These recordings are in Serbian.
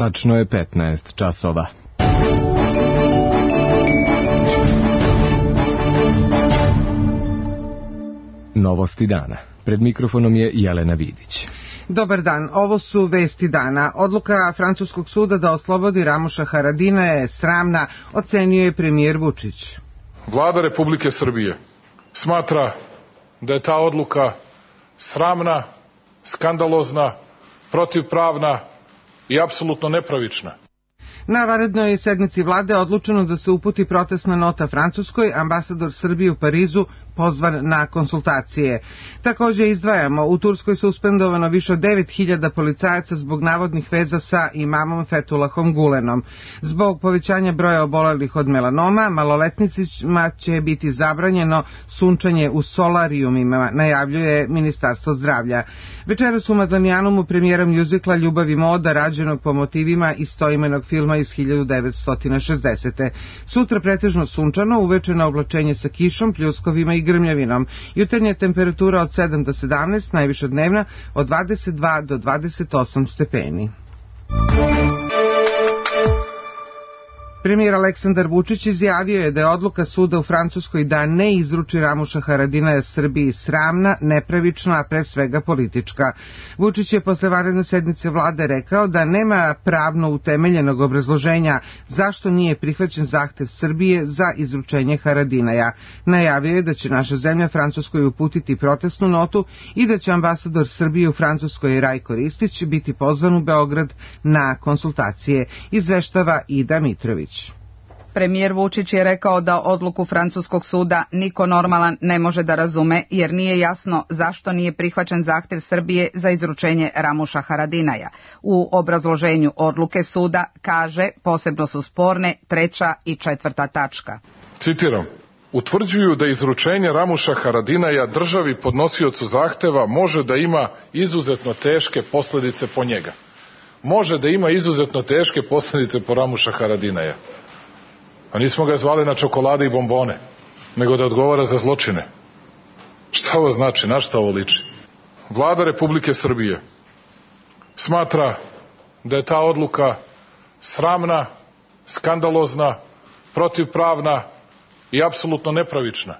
Tačno je 15 časova. Novosti dana. Pred mikrofonom je Jelena Vidić. Dobar dan, ovo su vesti dana. Odluka francuskog suda da oslobodi Ramuša Haradinaja je sramna, ocenio je premijer Vučić. Vlada Republike Srbije smatra da je ta odluka sramna, skandalozna, protivpravna i apsolutno nepravična. Na vanrednoj sednici vlade odlučeno da se uputi protestna nota Francuskoj, ambasador Srbije u Parizu pozvan na konsultacije. Također izdvajamo, u Turskoj suspendovano više od 9.000 policajaca zbog navodnih veza sa imamom Fethullahom Gulenom. Zbog povećanja broja obolelih od melanoma, maloletnicima će biti zabranjeno sunčanje u solarijumima, najavljuje Ministarstvo zdravlja. Večeras u Madonijanumu premijera mjuzikla Ljubav i moda, rađenog po motivima istoimenog filma iz 1960. Sutra pretežno sunčano, uveče na oblačenje sa kišom, pljuskovima i grmljavinom. Jutarnja temperatura od 7 do 17, najviša dnevna od 22 do 28 stepeni. Premijer Aleksandar Vučić izjavio je da je odluka suda u Francuskoj da ne izruči Ramuša Haradinaja Srbiji sramna, nepravična, a pre svega politička. Vučić je posle vanredne sednice vlade rekao da nema pravno utemeljenog obrazloženja zašto nije prihvaćen zahtev Srbije za izručenje Haradinaja. Najavio je da će naša zemlja Francuskoj uputiti protestnu notu i da će ambasador Srbije u Francuskoj Rajko Ristić biti pozvan u Beograd na konsultacije, izveštava Ida Mitrović. Premijer Vučić je rekao da odluku francuskog suda niko normalan ne može da razume, jer nije jasno zašto nije prihvaćen zahtev Srbije za izručenje Ramuša Haradinaja. U obrazloženju odluke suda kaže posebno su sporne 3. i 4. tačka. Citiram: utvrđuju da izručenje Ramuša Haradinaja državi podnosiocu zahteva može da ima izuzetno teške posljedice po njega. Može da ima izuzetno teške posljedice po Ramuša Haradinaja. A nismo ga zvali na čokolade i bombone, nego da odgovara za zločine. Šta ovo znači? Na šta ovo liči? Vlada Republike Srbije smatra da je ta odluka sramna, skandalozna, protivpravna i apsolutno nepravična.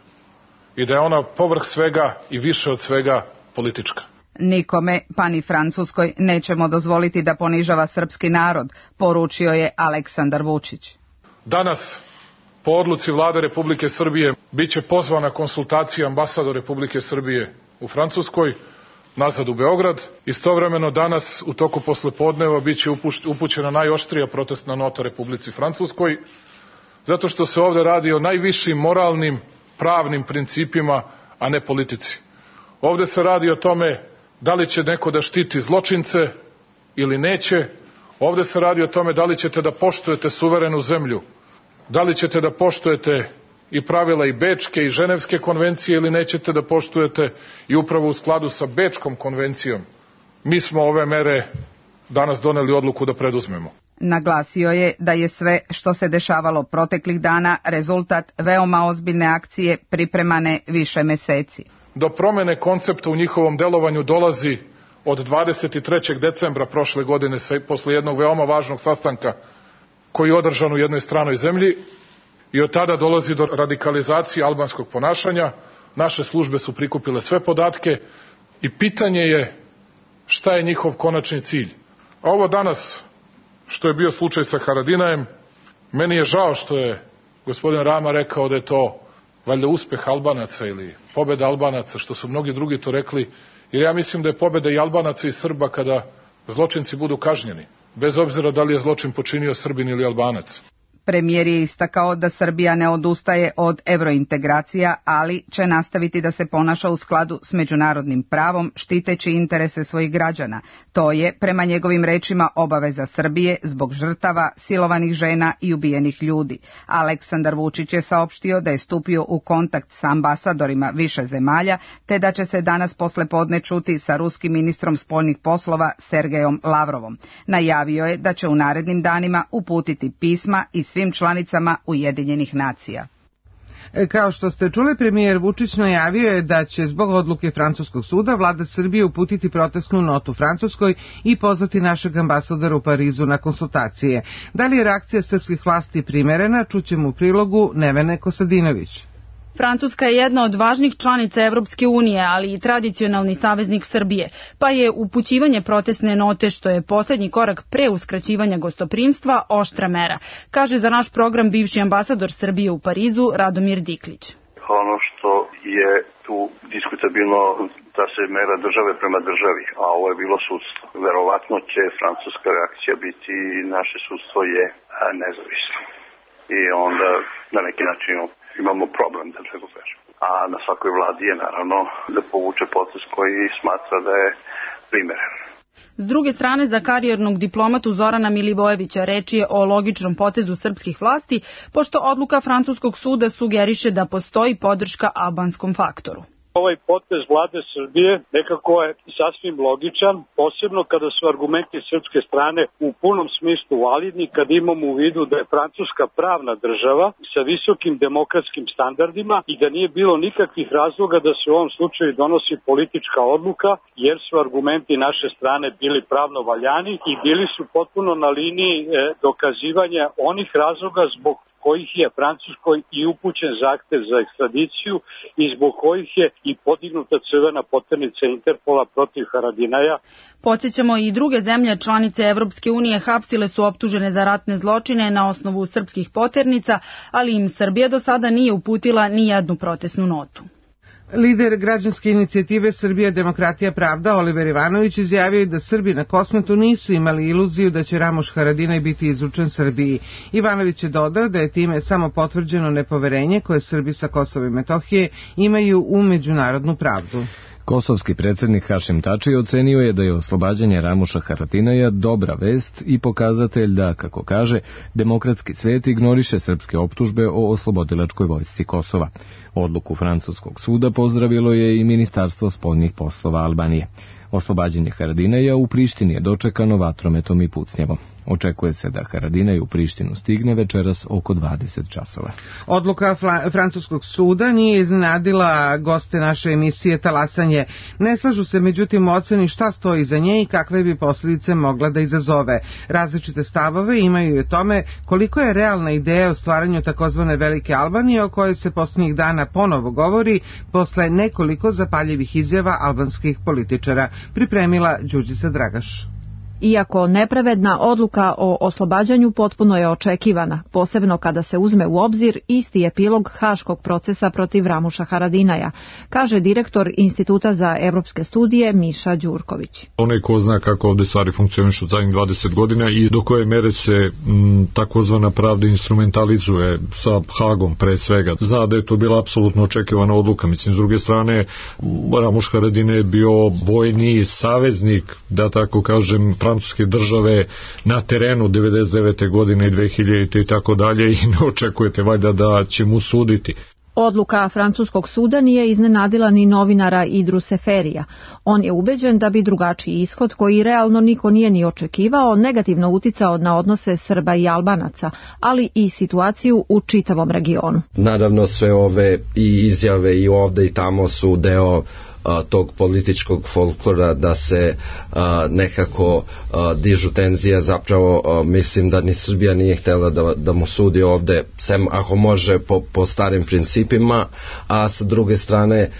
I da je ona povrh svega i više od svega politička. Nikome, pa ni Francuskoj, nećemo dozvoliti da ponižava srpski narod, poručio je Aleksandar Vučić. Danas, po odluci Vlade Republike Srbije, biće pozvana konsultacija ambasador Republike Srbije u Francuskoj, nazad u Beograd. Istovremeno danas, u toku poslepodneva, biće upućena najoštrija protestna nota Republici Francuskoj, zato što se ovde radi o najvišim moralnim, pravnim principima, a ne politici. Ovde se radi o tome da li će neko da štiti zločince ili neće. Ovde se radi o tome da li ćete da poštujete suverenu zemlju, da li ćete da poštujete i pravila i Bečke i Ženevske konvencije ili nećete da poštujete, i upravo u skladu sa Bečkom konvencijom mi smo ove mere danas doneli odluku da preduzmemo. Naglasio je da je sve što se dešavalo proteklih dana rezultat veoma ozbiljne akcije pripremane više meseci. Do promene koncepta u njihovom delovanju dolazi od 23. decembra prošle godine, posle jednog veoma važnog sastanka koji je održan u jednoj stranoj zemlji, i od tada dolazi do radikalizacije albanskog ponašanja. Naše službe su prikupile sve podatke i pitanje je šta je njihov konačni cilj. A ovo danas, što je bio slučaj sa Haradinajem, meni je žao što je gospodin Rama rekao da je to valjda uspeh Albanaca ili pobeda Albanaca, što su mnogi drugi to rekli, jer ja mislim da je pobeda i Albanaca i Srba kada zločinci budu kažnjeni, bez obzira da li je zločin počinio Srbin ili Albanac. Premijer je istakao da Srbija ne odustaje od evrointegracija, ali će nastaviti da se ponaša u skladu s međunarodnim pravom, štiteći interese svojih građana. To je, prema njegovim rečima, obaveza Srbije zbog žrtava, silovanih žena i ubijenih ljudi. Aleksandar Vučić je saopštio da je stupio u kontakt sa ambasadorima više zemalja, te da će se danas poslepodne čuti sa ruskim ministrom spoljnih poslova Sergejom Lavrovom. Najavio je da će u narednim danima uputiti pisma i svim članicama Ujedinjenih nacija. Kao što ste čuli, premijer Vučić najavio je da će zbog odluke francuskog suda vlada Srbije uputiti protestnu notu Francuskoj i pozvati našeg ambasadora u Parizu na konsultacije. Da li je reakcija srpskih vlasti primerena, čućemo u prilogu Nevene Kostadinović. Francuska je jedna od važnih članica Evropske unije, ali i tradicionalni saveznik Srbije, pa je upućivanje protestne note, što je poslednji korak pre uskraćivanja gostoprimstva, oštra mera, kaže za naš program bivši ambasador Srbije u Parizu Radomir Diklić. Ono što je tu diskutabilno da se mera države prema državi, a ovo je bilo sudstvo. Verovatno će francuska reakcija biti naše sudstvo je nezavisno. I onda na neki način imamo problem, da tako kažem. A na svakoj vladi je naravno da povuče potez koji smatra da je primeren. S druge strane, za karijernog diplomatu Zorana Milivojevića reč je o logičnom potezu srpskih vlasti, pošto odluka francuskog suda sugeriše da postoji podrška albanskom faktoru. Ovaj potez vlade Srbije nekako je sasvim logičan, posebno kada su argumenti srpske strane u punom smislu validni, kad imamo u vidu da je Francuska pravna država sa visokim demokratskim standardima i da nije bilo nikakvih razloga da se u ovom slučaju donosi politička odluka, jer su argumenti naše strane bili pravno valjani i bili su potpuno na liniji dokazivanja onih razloga zbog kojih je Francuskoj i upućen zahtev za ekstradiciju i zbog kojih je i podignuta crvena poternica Interpola protiv Haradinaja. Podsjećamo, i druge zemlje članice Evropske unije hapsile su optužene za ratne zločine na osnovu srpskih poternica, ali im Srbija do sada nije uputila ni jednu protestnu notu. Lider građanske inicijative Srbija, demokratija, pravda Oliver Ivanović izjavio da Srbi na Kosmetu nisu imali iluziju da će Ramuš Haradinaj biti izručen Srbiji. Ivanović je dodao da je time samo potvrđeno nepoverenje koje Srbi sa Kosova i Metohije imaju u međunarodnu pravdu. Kosovski predsjednik Hašim Tači ocenio je da je oslobađanje Ramuša Haradinaja dobra vest i pokazatelj da, kako kaže, demokratski svet ignoriše srpske optužbe o oslobodilačkoj vojsci Kosova. Odluku francuskog suda pozdravilo je i Ministarstvo spoljnih poslova Albanije. Oslobađanje Haradinaja u Prištini je dočekano vatrometom i pucnjavom. Očekuje se da Haradinaj u Prištinu stigne večeras oko 20 časova. Odluka francuskog suda nije iznenadila goste naše emisije Talasanje. Ne slažu se međutim u oceni šta stoji za nje i kakve bi posljedice mogla da izazove. Različite stavove imaju i o tome koliko je realna ideja o stvaranju takozvane Velike Albanije, o kojoj se posljednjih dana ponovo govori posle nekoliko zapaljivih izjava albanskih političara. Pripremila Đurđica Dragaš. Iako nepravedna odluka o oslobađanju potpuno je očekivana, posebno kada se uzme u obzir isti epilog haškog procesa protiv Ramuša Haradinaja, kaže direktor Instituta za evropske studije Miša Đurković. Onaj ko zna kako ovde stvari funkcionišu zadnjih 20 godina i do koje mere se takozvana pravda instrumentalizuje sa Hagom pre svega, zna da je to bila apsolutno očekivana odluka. Mislim, s druge strane, Ramuš Haradinaj je bio vojni saveznik, da tako kažem, francuske države na terenu 99. godine i 2000. i tako dalje i ne očekujete valjda da će mu suditi. Odluka francuskog suda nije iznenadila ni novinara Idru Seferija. On je ubeđen da bi drugačiji ishod, koji realno niko nije ni očekivao, negativno uticao na odnose Srba i Albanaca, ali i situaciju u čitavom regionu. Naravno, sve ove i izjave i ovde i tamo su deo tog političkog folklora da se nekako dižu tenzije. Zapravo mislim da ni Srbija nije htjela da mu sudi ovde, sem ako može po starim principima, a sa druge strane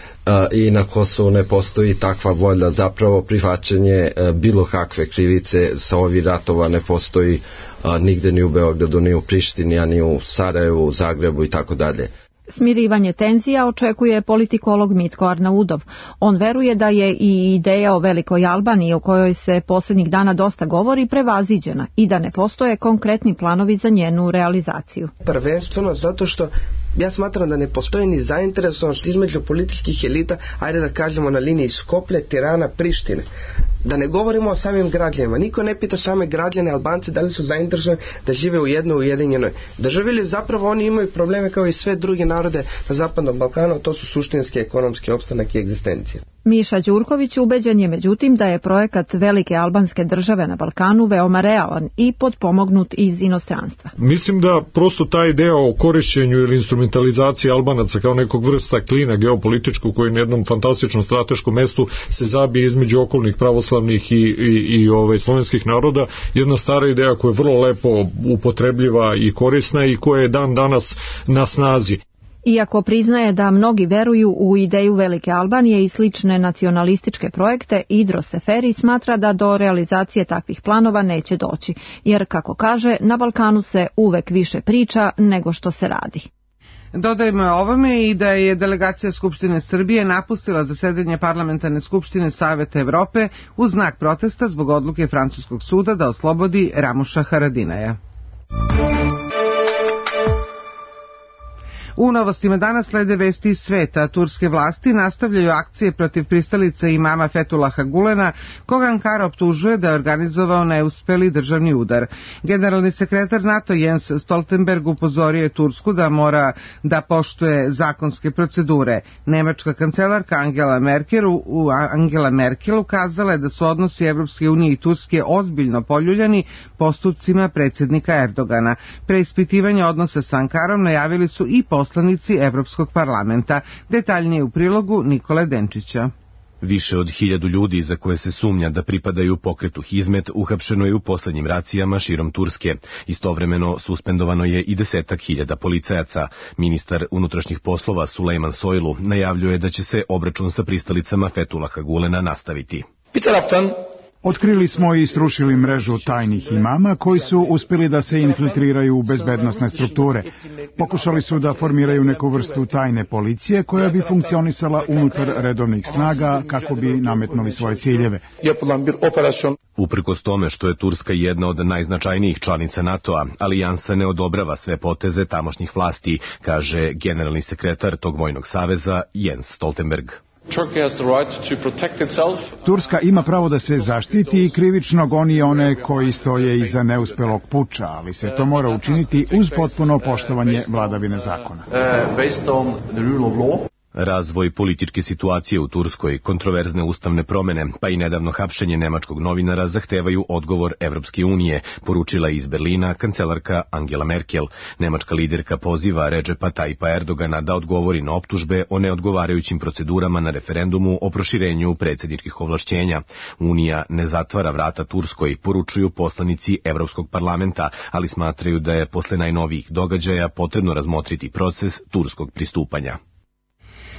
i na Kosovu ne postoji takva volja, zapravo prihvaćanje bilo kakve krivice sa ovih ratova ne postoji nigde, ni u Beogradu, ni u Prištini, a ni u Sarajevu, u Zagrebu i tako dalje. Smirivanje tenzija očekuje politikolog Mitko Arnaudov. On veruje da je i ideja o Velikoj Albaniji, o kojoj se posljednjih dana dosta govori, prevaziđena i da ne postoje konkretni planovi za njenu realizaciju. Prvenstveno zato što ja smatram da ne postoji ni zainteresovanost između političkih elita, ajde da kažemo na liniji Skoplje, Tirana, Prištine. Da ne govorimo o samim građanima. Niko ne pita same građane Albance da li su zainteresovani da žive u jednoj ujedinjenoj državi ili zapravo oni imaju probleme kao i sve druge narode na Zapadnom Balkanu, to su suštinski ekonomski opstanak i egzistencija. Miša Đurković ubeđen je međutim da je projekat Velike albanske države na Balkanu veoma realan i potpomognut iz inostranstva. Mislim da prosto ta ideja o korišćenju ili instrumentalizaciju instrumentalizacija Albanaca kao nekog vrsta klina geopolitičkog koji na jednom fantastičnom strateškom mestu se zabije između okolnih pravoslavnih i slovenskih naroda, jedna stara ideja koja je vrlo lepo upotrebljiva i korisna i koja je dan danas na snazi. Iako priznaje da mnogi veruju u ideju Velike Albanije i slične nacionalističke projekte, Idros Seferi smatra da do realizacije takvih planova neće doći, jer, kako kaže, na Balkanu se uvek više priča nego što se radi. Dodajmo ovome i da je delegacija Skupštine Srbije napustila zasedanje Parlamentarne skupštine Saveta Evrope u znak protesta zbog odluke francuskog suda da oslobodi Ramuša Haradinaja. U novostima danas slede vesti iz sveta. Turske vlasti nastavljaju akcije protiv pristalica imama Fethullaha Gulena, koga Ankara optužuje da je organizovao neuspeli državni udar. Generalni sekretar NATO Jens Stoltenberg upozorio je Tursku da mora da poštuje zakonske procedure. Nemačka kancelarka Angela Merkel ukazala je da su odnosi Evropske unije i Turske ozbiljno poljuljani postupcima predsjednika Erdogana. Preispitivanje odnosa sa Ankarom najavili su i poslanici Evropskog parlamenta. Detaljnije u prilogu Nikole Denčića. Više od 1000 ljudi za koje se sumnja da pripadaju pokretu Hizmet uhapšeno je u poslednjim racijama širom Turske. Istovremeno suspendovano je i 10.000 policajaca. Ministar unutrašnjih poslova Sulejman Soylu najavljuje da će se obračun sa pristalicama Fethullaha Gulena nastaviti. Otkrili smo i strušili mrežu tajnih imama koji su uspjeli da se infiltriraju u bezbednosne strukture. Pokušali su da formiraju neku vrstu tajne policije koja bi funkcionisala unutar redovnih snaga kako bi nametnuli svoje ciljeve. Uprkos tome što je Turska jedna od najznačajnijih članica NATO-a, alijansa ne odobrava sve poteze tamošnjih vlasti, kaže generalni sekretar tog vojnog saveza Jens Stoltenberg. Turska ima pravo da se zaštiti i krivično goni one koji stoje iza neuspelog puča, ali se to mora učiniti uz potpuno poštovanje vladavine zakona. Razvoj političke situacije u Turskoj, kontroverzne ustavne promene, pa i nedavno hapšenje nemačkog novinara zahtevaju odgovor Evropske unije, poručila iz Berlina kancelarka Angela Merkel. Nemačka liderka poziva Redžepa Tajpa Erdogana da odgovori na optužbe o neodgovarajućim procedurama na referendumu o proširenju predsjedničkih ovlašćenja. Unija ne zatvara vrata Turskoj, poručuju poslanici Evropskog parlamenta, ali smatraju da je posle najnovijih događaja potrebno razmotriti proces turskog pristupanja.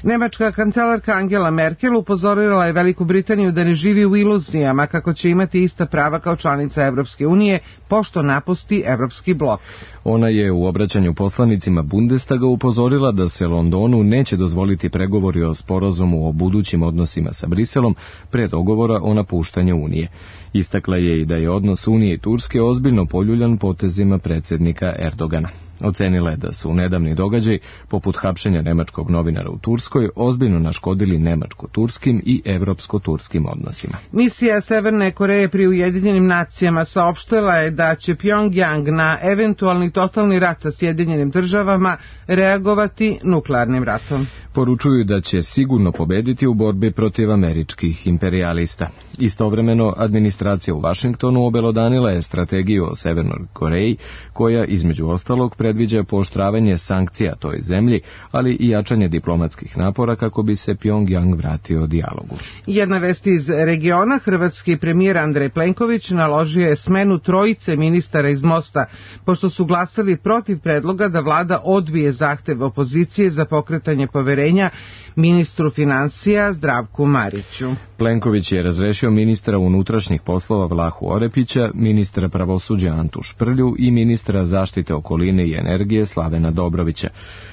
Nemačka kancelarka Angela Merkel upozorila je Veliku Britaniju da ne živi u iluzijama kako će imati ista prava kao članica Evropske unije pošto napusti Evropski blok. Ona je u obraćanju poslanicima Bundestaga upozorila da se Londonu neće dozvoliti pregovori o sporazumu o budućim odnosima sa Briselom pre dogovora o napuštanju Unije. Istakla je i da je odnos Unije i Turske ozbiljno poljuljan potezima predsjednika Erdogana. Ocenila je da su nedavni događaj, poput hapšenja nemačkog novinara u Turskoj, ozbiljno naškodili nemačko-turskim i evropsko-turskim odnosima. Misija Severne Koreje pri Ujedinjenim nacijama saopštila je da će Pjongjang na eventualni totalni rat sa Sjedinjenim državama reagovati nuklearnim ratom. Poručuju da će sigurno pobediti u borbi protiv američkih imperijalista. Istovremeno, administracija u Vašingtonu obelodanila je strategiju o Severnoj Koreji, koja između ostalog predviđa pooštravanje sankcija toj zemlji, ali i jačanje diplomatskih napora kako bi se Pjongjang vratio dijalogu. Jedna vest iz regiona, hrvatski premijer Andrej Plenković naložio je smenu 3 ministara iz Mosta, pošto su glasali protiv predloga da vlada odbije zahtev opozicije za pokretanje poverenja ministru financija Zdravku Mariću. Plenković je razrešio ministra unutrašnjih poslova Vlahu Orepića, ministra pravosuđa Antu Šprlju i ministra zaštite okoline i energije Slavena Dobrovića.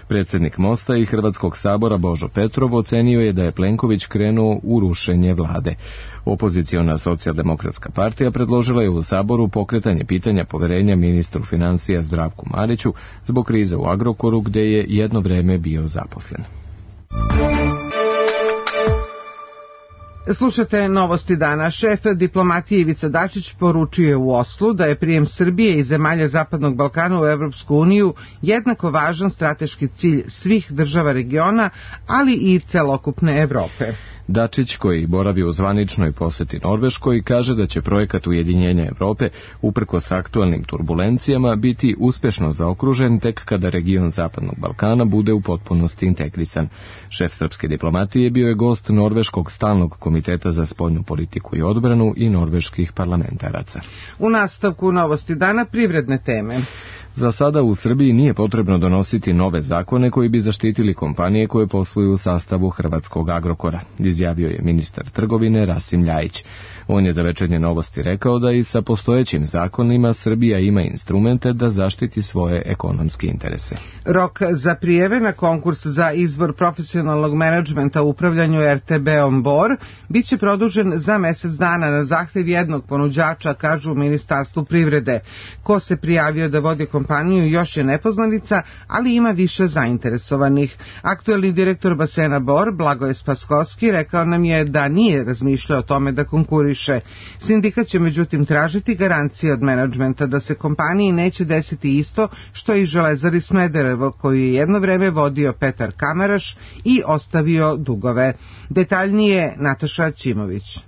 Predsjednik Mosta i Hrvatskog sabora Božo Petrov ocenio je da je Plenković krenuo u rušenje vlade. Opoziciona socijaldemokratska partija predložila je u saboru pokretanje pitanja poverenja ministru financija Zdravku Mariću zbog krize u Agrokoru gde je jedno vreme bio zaposlen. Slušate novosti dana. Šef diplomatije Ivica Dačić poručio je u Oslu da je prijem Srbije i zemalja Zapadnog Balkana u Evropsku uniju jednako važan strateški cilj svih država regiona, ali i celokupne Evrope. Dačić, koji boravi u zvaničnoj poseti Norveškoj, kaže da će projekat ujedinjenja Evrope, uprkos aktualnim turbulencijama, biti uspešno zaokružen tek kada region Zapadnog Balkana bude u potpunosti integrisan. Šef srpske diplomatije bio je gost Norveškog stalnog komiteta za spoljnu politiku i odbranu i norveških parlamentaraca. U nastavku novosti dana privredne teme. Za sada u Srbiji nije potrebno donositi nove zakone koji bi zaštitili kompanije koje posluju u sastavu hrvatskog Agrokora, izjavio je ministar trgovine Rasim Ljajić. On je za Večernje novosti rekao da i sa postojećim zakonima Srbija ima instrumente da zaštiti svoje ekonomske interese. Rok za prijeve na konkurs za izbor profesionalnog menadžmenta u upravljanju RTB-om Bor biće produžen za mesec dana na zahtev jednog ponuđača, kažu u Ministarstvu privrede. Ko se prijavio da vodi kompaniju još je nepoznanica, ali ima više zainteresovanih. Aktuelni direktor basena Bor, Blagoje Spaskovski, rekao nam je da nije razmišljao o tome da konkuriše. Sindikat će međutim tražiti garancije od menadžmenta da se kompaniji neće desiti isto što i Železari Smederevo, koju je jedno vreme vodio Petar Kamaraš i ostavio dugove. Detaljnije Nataša Ćimović.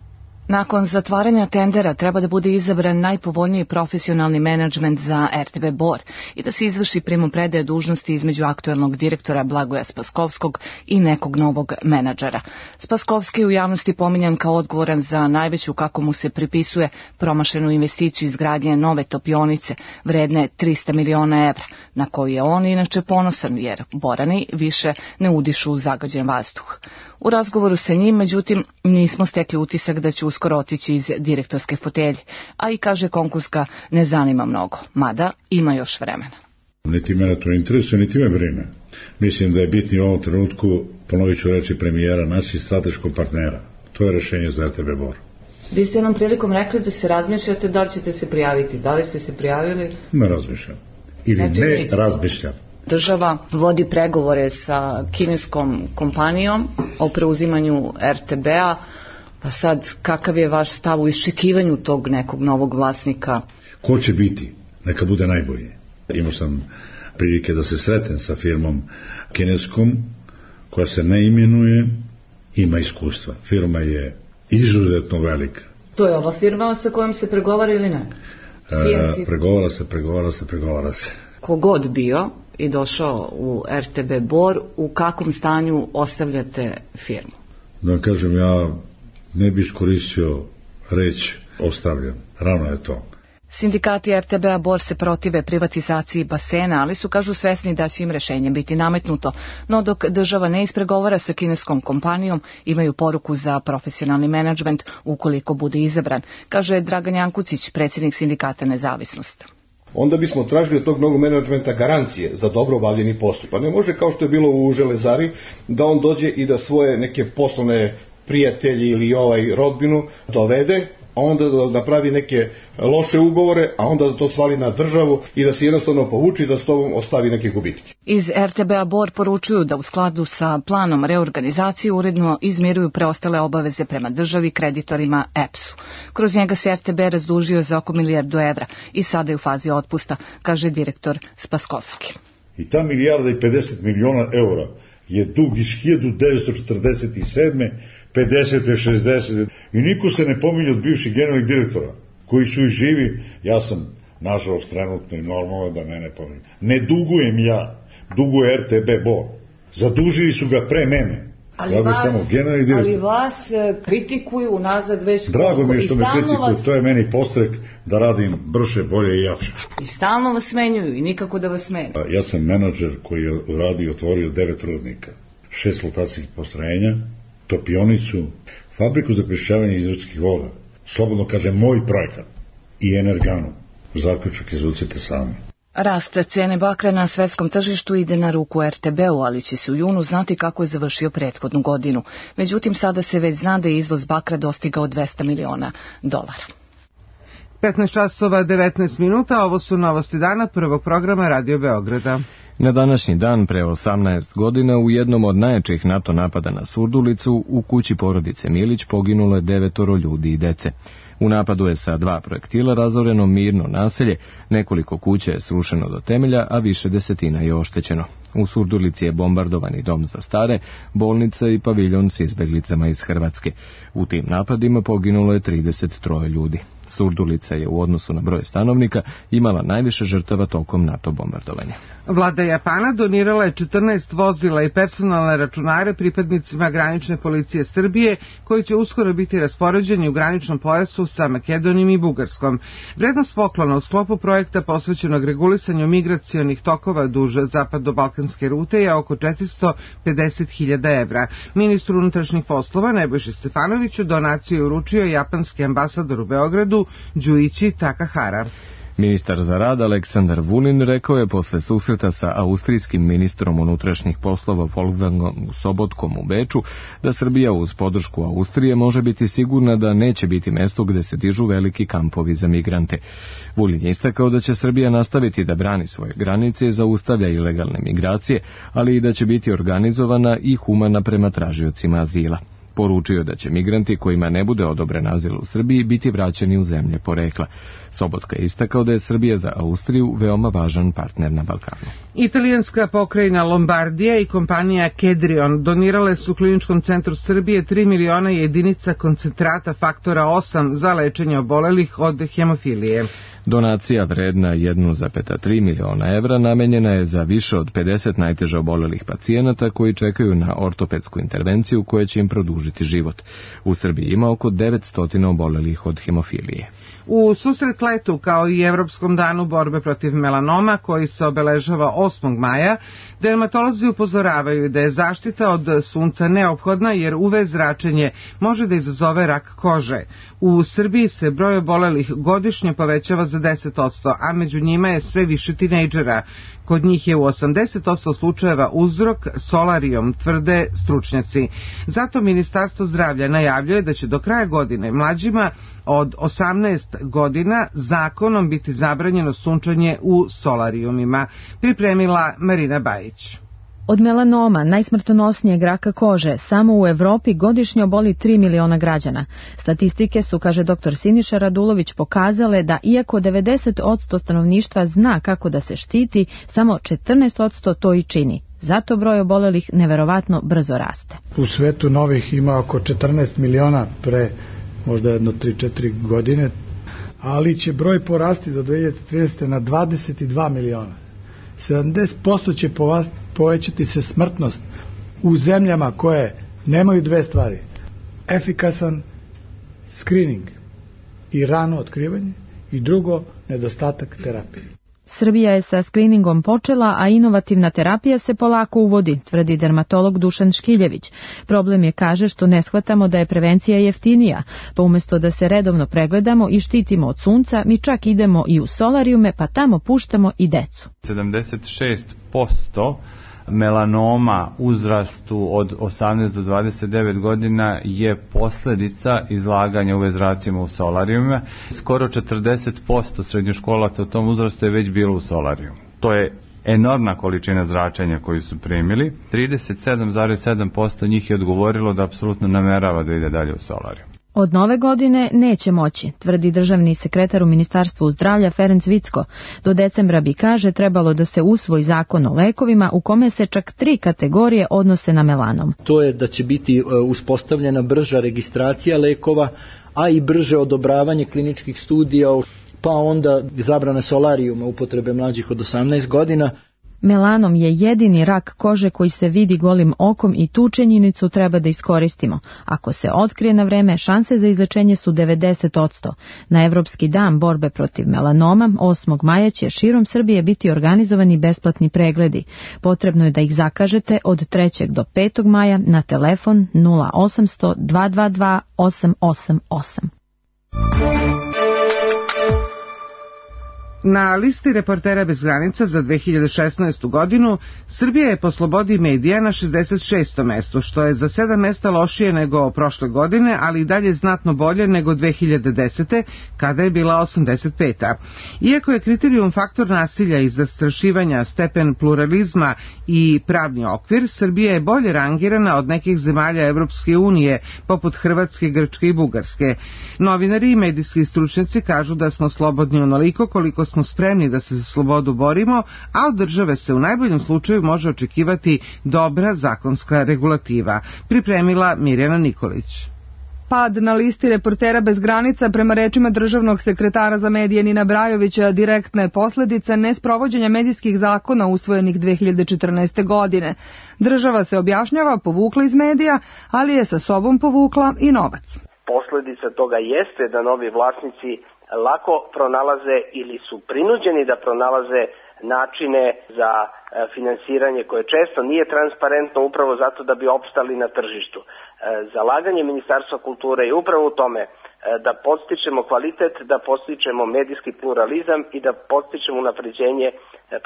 Nakon zatvaranja tendera treba da bude izabran najpovoljniji profesionalni menadžment za RTB Bor i da se izvrši primopredaja dužnosti između aktuelnog direktora Blagoja Spaskovskog i nekog novog menadžera. Spaskovski je u javnosti pominjan kao odgovoran za najveću, kako mu se pripisuje, promašenu investiciju izgradnje nove topionice vredne 300 miliona evra, na koju je on inače ponosan jer Borani više ne udišu zagađen vazduh. U razgovoru sa njim, međutim, nismo stekli utisak da će uskoro otići iz direktorske fotelje, a i kaže konkurs ga ne zanima mnogo, mada ima još vremena. Niti mene to interesuje, niti me brine. Mislim da je bitni u ovom trenutku, ponovit ću reći premijera, naći strateškog partnera. To je rešenje za RTB Bor. Vi ste nam prilikom rekli da se razmišljate da li ćete se prijaviti. Da li ste se prijavili? Ne razmišljam. Ili ne razmišljam. Država vodi pregovore sa kineskom kompanijom o preuzimanju RTB-a, pa sad kakav je vaš stav u iščekivanju tog nekog novog vlasnika? Ko će biti? Neka bude najbolje. Imao sam prilike da se sretnem sa firmom kineskom koja se ne imenuje, ima iskustva. Firma je izuzetno velika. To je ova firma sa kojom se pregovara ili ne? Pregovara se. Kogod bio i došao u RTB Bor, u kakvom stanju ostavljate firmu? Da kažem, ja ne bi iskoristio reč ostavljam. Rano je to. Sindikati RTB-a Bor se protive privatizaciji basena, ali su, kažu, svesni da će im rešenje biti nametnuto. No dok država ne ispregovara sa kineskom kompanijom, imaju poruku za profesionalni menadžment ukoliko bude izabran, kaže Dragan Jankucić, predsjednik sindikata Nezavisnost. Onda bismo tražili od tog novog menadžmenta garancije za dobro obavljeni posao. Pa ne može, kao što je bilo u Železari, da on dođe i da svoje neke poslovne prijatelji ili rodbinu dovede, a onda da napravi neke loše ugovore, a onda da to svali na državu i da se jednostavno povuči i da s tobom ostavi neke gubitke. Iz RTB-a Bor poručuju da u skladu sa planom reorganizacije uredno izmiruju preostale obaveze prema državi, kreditorima EPS-u. Kroz njega se RTB razdužio za oko 1 milijardu evra i sada je u fazi otpusta, kaže direktor Spaskovski. I ta 1,50 miliona eura je dug iz 1947. 50. 60. I niko se ne pominje od bivših generalnih direktora, koji su i živi. Ja sam, nažalost, trenutno i normalno da mene pominje. Ne dugujem ja, duguje RTB Bor. Zadužili su ga pre mene. Ali vas kritikuju unazad već... Drago mi je što me kritikuju, to je meni podstrek da radim brže, bolje i jače. I stalno vas smenjuju i nikako da vas smeni. Ja sam menadžer koji je uradio i otvorio 9 rudnika, 6 flotacijskih postrojenja, topionicu, fabriku za prečišćavanje izvorskih voda, slobodno kažem moj projekat, i energanu. Zaključak izvucite sami. Rast cene bakra na svetskom tržištu ide na ruku RTB-u, ali će se u junu znati kako je završio prethodnu godinu. Međutim, sada se već zna da je izvoz bakra dostigao $200 miliona. 15 časova 19 minuta, ovo su novosti dana prvog programa Radio Beograda. Na današnji dan, pre 18 godina, u jednom od najjačih NATO napada na Surdulicu, u kući porodice Milić poginulo je 9 ljudi i dece. U napadu je sa 2 projektila razoreno mirno naselje, nekoliko kuća je srušeno do temelja, a više desetina je oštećeno. U Surdulici je bombardovan i dom za stare, bolnica i paviljon s izbeglicama iz Hrvatske. U tim napadima poginulo je 33 ljudi. Surdulica je u odnosu na broj stanovnika imala najviše žrtava tokom NATO bombardovanja. Vlada Japana donirala je 14 vozila i personalne računare pripadnicima granične policije Srbije, koji će uskoro biti raspoređeni u graničnom pojasu sa Makedonijom i Bugarskom. Vrednost poklona u sklopu projekta posvećenog regulisanju migracionih tokova duž zapadno-balkanske rute je oko 450.000 evra. Ministru unutrašnjih poslova Nebojši Stefanoviću donaciju je uručio japanski ambasador u Beogradu Džuići Takahara. Ministar za rad Aleksandar Vulin rekao je posle susreta sa austrijskim ministrom unutrašnjih poslova Wolfgangom Sobotkom u Beču da Srbija uz podršku Austrije može biti sigurna da neće biti mesto gde se dižu veliki kampovi za migrante. Vulin je istakao da će Srbija nastaviti da brani svoje granice i zaustavlja ilegalne migracije, ali i da će biti organizovana i humana prema tražiocima azila. Poručio da će migranti kojima ne bude odobren azil u Srbiji biti vraćeni u zemlje porekla. Sobotka je istakao da je Srbija za Austriju veoma važan partner na Balkanu. Italijanska pokrajina Lombardija i kompanija Kedrion donirale su Kliničkom centru Srbije 3 miliona jedinica koncentrata faktora 8 za lečenje obolelih od hemofilije. Donacija vredna 1,3 miliona evra namenjena je za više od 50 najteže obolelih pacijenata koji čekaju na ortopedsku intervenciju koja će im produžiti život. U Srbiji ima oko 900 obolelih od hemofilije. U susret letu, kao i Evropskom danu borbe protiv melanoma, koji se obeležava 8. maja, dermatolozi upozoravaju da je zaštita od sunca neophodna jer UV zračenje može da izazove rak kože. U Srbiji se broj obolelih godišnje povećava za 10%, a među njima je sve više tinejdžera. Kod njih je u 80% slučajeva uzrok solarijom, tvrde stručnjaci. Zato Ministarstvo zdravlja najavljuje da će do kraja godine mlađima od 18 godina zakonom biti zabranjeno sunčanje u solarijumima. Pripremila Marina Bajić. Od melanoma, najsmrtonosnijeg raka kože, samo u Evropi godišnje oboli 3 miliona građana. Statistike su, kaže dr. Siniša Radulović, pokazale da iako 90% stanovništva zna kako da se štiti, samo 14% to i čini. Zato broj obolelih neverovatno brzo raste. U svetu novih ima oko 14 miliona pre možda jedno 3-4 godine, ali će broj porasti do 2030. na 22 miliona. 70% će povećati se smrtnost u zemljama koje nemaju dve stvari: efikasan screening i rano otkrivanje, i drugo, nedostatak terapije. Srbija je sa screeningom počela, a inovativna terapija se polako uvodi, tvrdi dermatolog Dušan Škiljević. Problem je, kaže, što ne shvatamo da je prevencija jeftinija, pa umjesto da se redovno pregledamo i štitimo od sunca, mi čak idemo i u solarijume, pa tamo puštamo i decu. 76% melanoma uzrastu od 18 do 29 godina je posljedica izlaganja UV zracima u solarijume. Skoro 40% srednjoškolaca u tom uzrastu je već bilo u solarijumu. To je enormna količina zračenja koju su primili. 37,7% njih je odgovorilo da apsolutno namerava da ide dalje u solariju. Od nove godine neće moći, tvrdi državni sekretar u Ministarstvu zdravlja Ferenc Vicko. Do decembra bi, kaže, trebalo da se usvoji zakon o lekovima u kome se čak 3 kategorije odnose na melanom. To je da će biti uspostavljena brža registracija lekova, a i brže odobravanje kliničkih studija, pa onda zabrana solarijuma upotrebe mlađih od 18 godina. Melanom je jedini rak kože koji se vidi golim okom i tu činjenicu treba da iskoristimo. Ako se otkrije na vreme, šanse za izlečenje su 90%. Na Evropski dan borbe protiv melanoma 8. maja će širom Srbije biti organizovani besplatni pregledi. Potrebno je da ih zakažete od 3. do 5. maja na telefon 0800 222 888. Na listi Reportera bez granica za 2016. godinu Srbija je po slobodi medija na 66. mestu, što je za 7 mesta lošije nego prošle godine, ali i dalje znatno bolje nego 2010. kada je bila 85. Iako je kriterijum faktor nasilja i zastrašivanja, stepen pluralizma i pravni okvir, Srbija je bolje rangirana od nekih zemalja Evropske unije, poput Hrvatske, Grčke i Bugarske. Novinari i medijski stručnjaci kažu da smo slobodni onoliko koliko smo spremni da se za slobodu borimo, a od države se u najboljem slučaju može očekivati dobra zakonska regulativa, pripremila Mirjana Nikolić. Pad na listi Reportera bez granica prema rečima državnog sekretara za medije Nina Brajovića direktna je posledica nesprovođenja medijskih zakona usvojenih 2014. godine. Država se objašnjava povukla iz medija, ali je sa sobom povukla i novac. Posledica toga jeste da novi vlasnici lako pronalaze ili su prinuđeni da pronalaze načine za finansiranje koje često nije transparentno upravo zato da bi opstali na tržištu. Zalaganje Ministarstva kulture je upravo u tome da podstičemo kvalitet, da podstičemo medijski pluralizam i da podstičemo unapređenje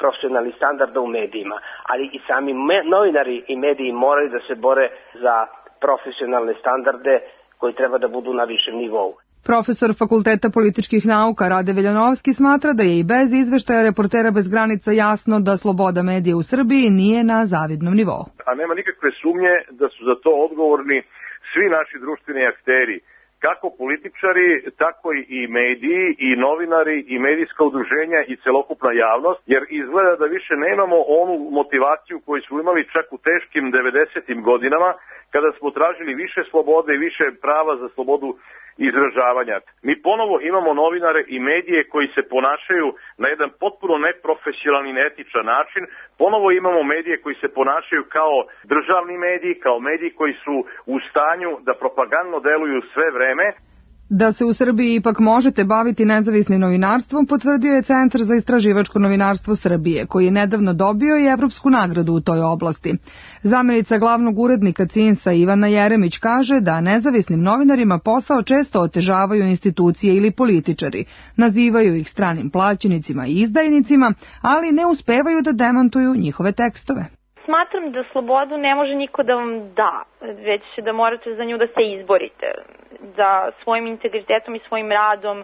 profesionalnih standarda u medijima. Ali i sami novinari i mediji moraju da se bore za profesionalne standarde koji treba da budu na višem nivou. Profesor Fakulteta političkih nauka Rade Veljanovski smatra da je i bez izveštaja Reportera bez granica jasno da sloboda medija u Srbiji nije na zavidnom nivou. A nema nikakve sumnje da su za to odgovorni svi naši društveni akteri, kako političari, tako i mediji, i novinari, i medijska udruženja i celokupna javnost, jer izgleda da više nemamo onu motivaciju koju smo imali čak u teškim 90. godinama, kada smo tražili više slobode i više prava za slobodu izražavanja. Mi ponovo imamo novinare i medije koji se ponašaju na jedan potpuno neprofesionalan i neetičan način. Ponovo imamo medije koji se ponašaju kao državni mediji, kao mediji koji su u stanju da propagandno deluju sve vreme. Da se u Srbiji ipak možete baviti nezavisnim novinarstvom, potvrdio je Centar za istraživačko novinarstvo Srbije, koji je nedavno dobio i evropsku nagradu u toj oblasti. Zamenica glavnog urednika CINS-a Ivana Jeremić kaže da nezavisnim novinarima posao često otežavaju institucije ili političari, nazivaju ih stranim plaćenicima i izdajnicima, ali ne uspevaju da demantuju njihove tekstove. Smatram da slobodu ne može niko da vam da, već da morate za nju da se izborite. Da svojim integritetom i svojim radom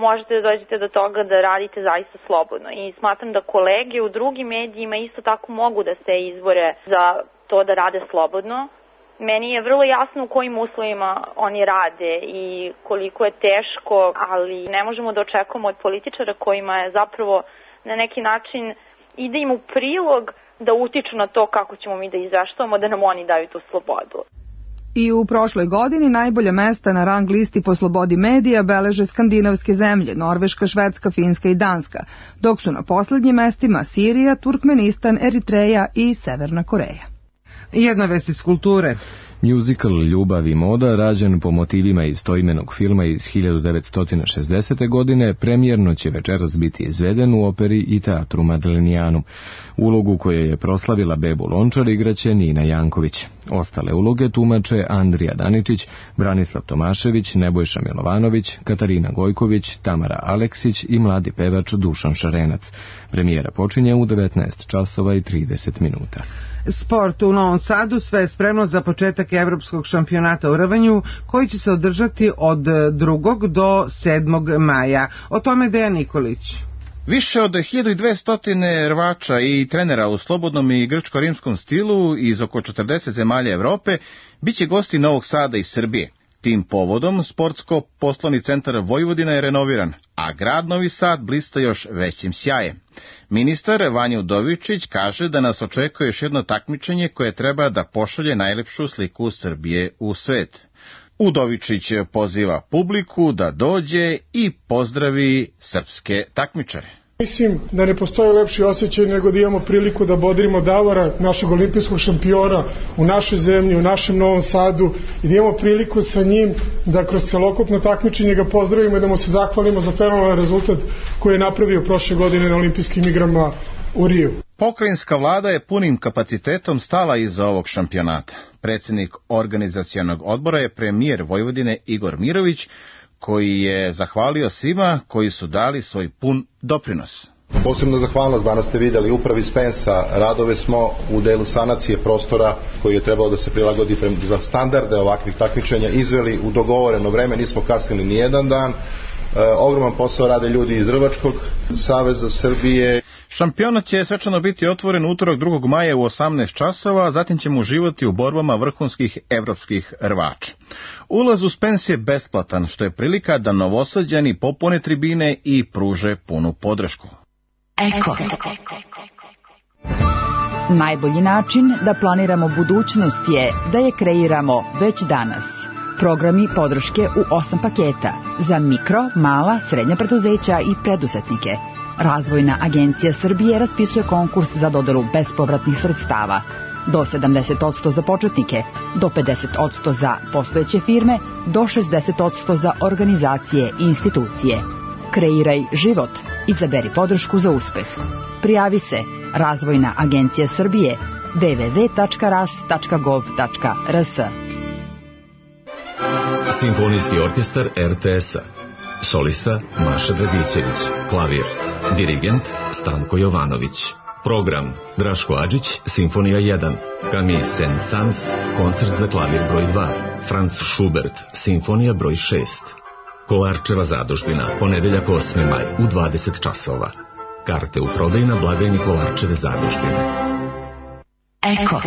možete da dođete do toga da radite zaista slobodno. I smatram da kolege u drugim medijima isto tako mogu da se izbore za to da rade slobodno. Meni je vrlo jasno u kojim uslovima oni rade i koliko je teško, ali ne možemo da očekujemo od političara kojima je zapravo na neki način ide im u prilog da utiču na to kako ćemo mi da izveštavamo, da nam oni daju tu slobodu. I u prošloj godini najbolja mesta na rang listi po slobodi medija beleže skandinavske zemlje, Norveška, Švedska, Finska i Danska, dok su na poslednjim mestima Sirija, Turkmenistan, Eritreja i Severna Koreja. Jedna vest iz kulture. Musical Ljubav i moda, rađen po motivima istoimenog filma iz 1960. godine, premijerno će večeras biti izveden u operi i teatru Madlenijanum. Ulogu koju je proslavila Bebu Lončar igraće Nina Janković. Ostale uloge tumače Andrija Daničić, Branislav Tomašević, Nebojša Milovanović, Katarina Gojković, Tamara Aleksić i mladi pevač Dušan Šarenac. Premijera počinje u 19:30. Sport u Novom Sadu, sve je spremno za početak evropskog šampionata u rvanju koji će se održati od 2. do 7. maja. O tome Dejan Nikolić. Više od 1200 rvača i trenera u slobodnom i grčko-rimskom stilu iz oko 40 zemalja Evrope biće gosti Novog Sada i Srbije. Tim povodom sportsko-poslovni centar Vojvodina je renoviran, a grad Novi Sad blista još većim sjajem. Ministar Vanja Udovičić kaže da nas očekuje još jedno takmičenje koje treba da pošalje najlepšu sliku Srbije u svet. Udovičić poziva publiku da dođe i pozdravi srpske takmičare. Mislim da ne postoji lepši osjećaj nego da imamo priliku da bodrimo Davora, našeg olimpijskog šampiona u našoj zemlji, u našem Novom Sadu i da imamo priliku sa njim da kroz celokupno takmičenje ga pozdravimo i da mu se zahvalimo za fenomenalan rezultat koji je napravio prošle godine na olimpijskim igrama u Riju. Pokrajinska vlada je punim kapacitetom stala iza ovog šampionata. Predsjednik organizacionog odbora je premijer Vojvodine Igor Mirović, koji je zahvalio svima koji su dali svoj pun doprinos. Posebno zahvalnost danas ste vidjeli upravi Spensa. Radove smo u delu sanacije prostora koji je trebalo da se prilagodi za standarde ovakvih takmičenja izveli u dogovoreno vreme, nismo kasnili ni jedan dan Ogroman posao rade ljudi iz Rvačkog saveza Srbije. Šampionat će svečano biti otvoren utorak 2. maja u 18 časova, zatim ćemo uživati u borbama vrhunskih evropskih rvača. Ulaz u Spens je besplatan, što je prilika da Novosađani popune tribine i pruže punu podršku. Eko. Najbolji način da planiramo budućnost je da je kreiramo već danas. Programi podrške u 8 paketa za mikro, mala, srednja preduzeća i preduzetnike. Razvojna agencija Srbije raspisuje konkurs za dodelu bespovratnih sredstava. Do 70% za početnike, do 50% za postojeće firme, do 60% za organizacije i institucije. Kreiraj život. Izaberi podršku za uspeh. Prijavi se Razvojna agencija Srbije www.ras.gov.rs. Simfonijski orkestar RTS-a. Solista Maša Dragićević. Klavir. Dirigent Stanko Jovanović. Program Draško Adžić, Simfonija 1. Camille Saint-Saëns, koncert za klavir broj 2. Franz Schubert, Simfonija broj 6. Kolarčeva zadužbina, ponedeljak 8. maj u 20 časova. Karte u prodaju na blagajni Kolarčeve zadužbine. Eko.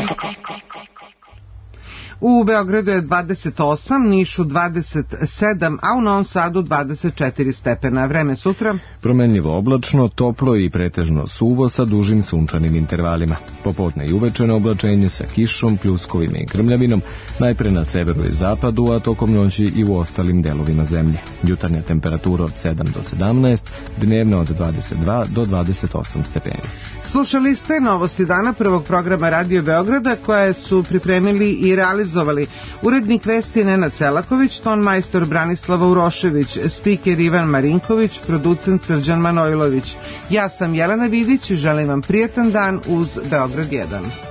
U Beogradu je 28, Nišu 27, a u Novom Sadu 24 stepena. Vreme sutra? Promenljivo oblačno, toplo i pretežno suvo sa dužim sunčanim intervalima. Popodne i uveče na oblačenje sa kišom, pljuskovima i grmljavinom, najpre na severu i zapadu, a tokom noći i u ostalim delovima zemlje. Jutarnja temperatura od 7 do 17, dnevna od 22 do 28 stepeni. Slušali ste novosti dana prvog programa Radio Beograda koje su pripremili i realizovali urednik vesti Nenad Selaković, ton majstor Branislava Urošević, spiker Ivan Marinković, producent Srđan Manojlović. Ja sam Jelena Vidić i želim vam prijetan dan uz Beograd 1.